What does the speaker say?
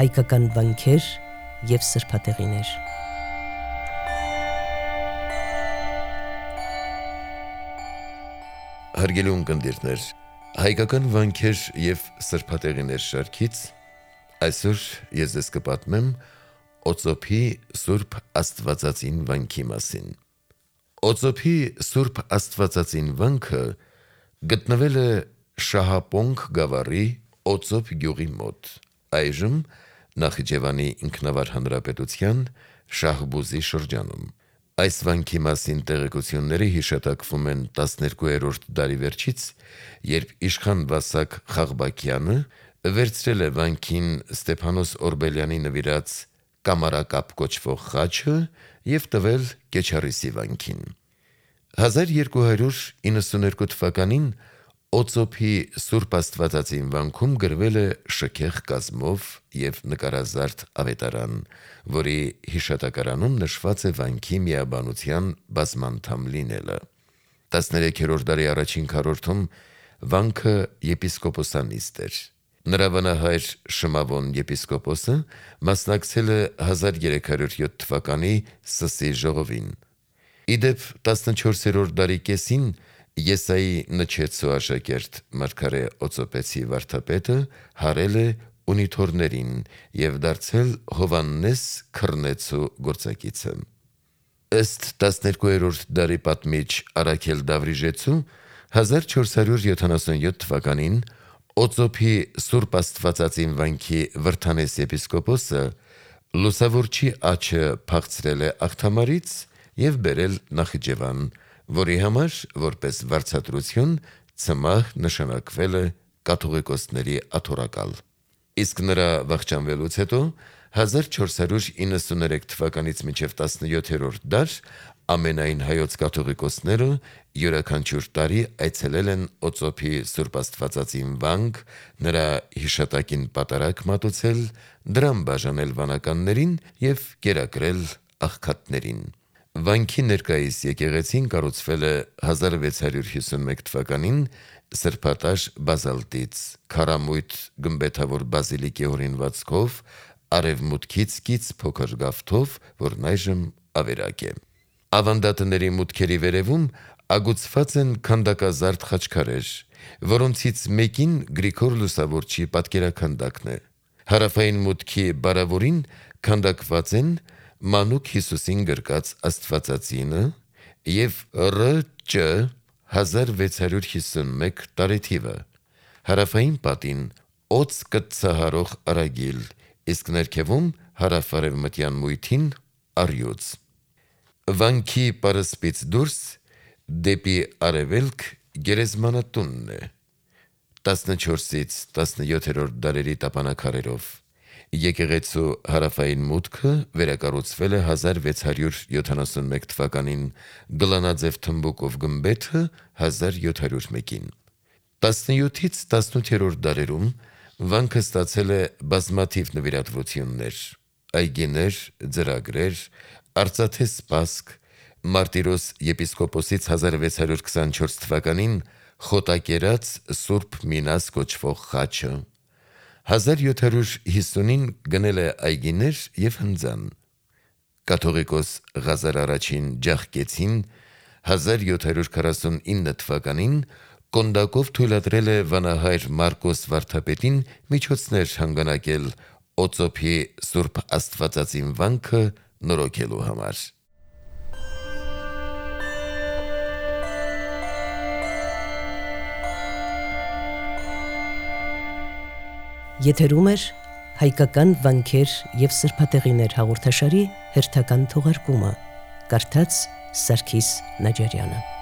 հայկական վանքեր և սրբատեղիներ։ Հարգելի ունկնդիրներ, հայկական վանքեր և սրբատեղիներ շարքից այսօր ես ձեզ կպատմեմ Օծոփի Սուրբ Աստվածածին վանքի մասին։ Օծոփի Սուրբ Աստվածածին վանքը գտնվել է Շահապոնք գավառի Օծոփ գյուղի մոտ, այժմ Նախիջևանի ինքնավար հանրապետության Շահբուզի շրջանում։ Այս վանքի մասին տեղեկությունները հիշատակվում են 12-րդ դարի վերջից, երբ իշխան Վասակ Խաղբակյանը վերցրել է վանքին Ստեփանոս Օրբելյանի նվիրած կամարակապ կոչվող խաչը և տվել Կեչարիսի վանքին։ 1292 թվականին Օծոփի Սուրբ Աստվածածին վանքում գրվել է շքեղ կազմով և նկարազարդ ավետարան, որի հիշատակարանում նշված է վանքի միաբանության բազմանդամ լինելը։ 13-րդ դարի առաջին քառորդում վանքը եպիսկոպոսանիստ էր։ Նրա վանահայր Շմավոն եպիսկոպոսը մասնակցել է 1307 թվականի Սսի ժողովին։ Ի դեպ 14-րդ դարի կեսին Եսայի Նչեցու աշակերտ մարգարե Օծոպեցի վարդապետը հարել է ունիթորներին և դարձել Հովհաննես Քռնեցու գործակիցը։ Ըստ 12-րդ դարի պատմիչ Առաքել Դավրիժեցու 1477 թվականին Օծոփի Սուրբ Աստվածածին վանքի Վրդանես եպիսկոպոսը լուսավորչի աջը փախցրել է աղթամարից և բերել Նախիջևան, որի համար, որպես վարձատրություն, ցմահ նշանակվել է կաթողիկոսների աթոռակալ։ Իսկ նրա վախճանվելուց հետո 1493 թվականից մինչև 17-րդ դար ամենայն հայոց կաթողիկոսները յուրաքանչյուր տարի այցելել են Օծոփի Սուրբ Աստվածածին վանք, նրա հիշատակին պատարագ մատուցել, դրամ բաժանել վանականներին և կերակրել աղքատներին։ Վանքի ներկայիս եկեղեցին կառուցվել է 1651 թվականին սրբատաշ բազալտից, քարամույթ գմբեթավոր բազիլիկի օրինվածքով, արևմուտքից կից փոքր գավթով, որն այժմ ավերակ է։ Ավանդատների մուտքերի վերևում ագուցված են քանդակազարդ խաչքարեր, որոնցից մեկին Գրիգոր Լուսավորչի պատկերաքանդակն է։ Հարավային մուտքի բարավորին քանդակված են մանուկ Հիսուսին գրկած Աստվածածինը և Ռ.Ճ. 1651 տարեթիվը, հարավային պատին օձ կտցահարող արագիլ, իսկ ներքևում հարավ-արևմտյան մույթին առյուծ։ Վանքի պարսպից դուրս դեպի արևելք գերեզմանատունն է 14-ից 17-րդ դարերի տապանաքարերով։ Եկեղեցու հարավային մուտքը վերակառուցվել է 1671 թվականին, գլանաձև թմբուկով գմբեթը 1701-ին։ 17-ից 18-րդ դարերում վանքը ստացել է բազմաթիվ նվիրատվություններ՝ այգիներ, ծրագրեր, արծաթե սպասք, Մարտիրոս եպիսկոպոսից 1624 թվականին խոտակերած Սուրբ Մինաս կոչվող խաչը, 1750-ին գնել է այգիներ և հնձան։ Կաթողիկոս Ղազար I Ջախկեցին 1749 թվականին կոնդակով թույլատրել է վանահայր Մարկոս վարդապետին միջոցներ հանգանակել Օծոփի Սուրբ Աստվածածին վանքը նորոգելու համար։ Եթերում է հայկական վանքեր և սրբատեղիներ հաղորդաշարի հերթական թողարկումը, կարդաց Սարգիս Նաջարյանը։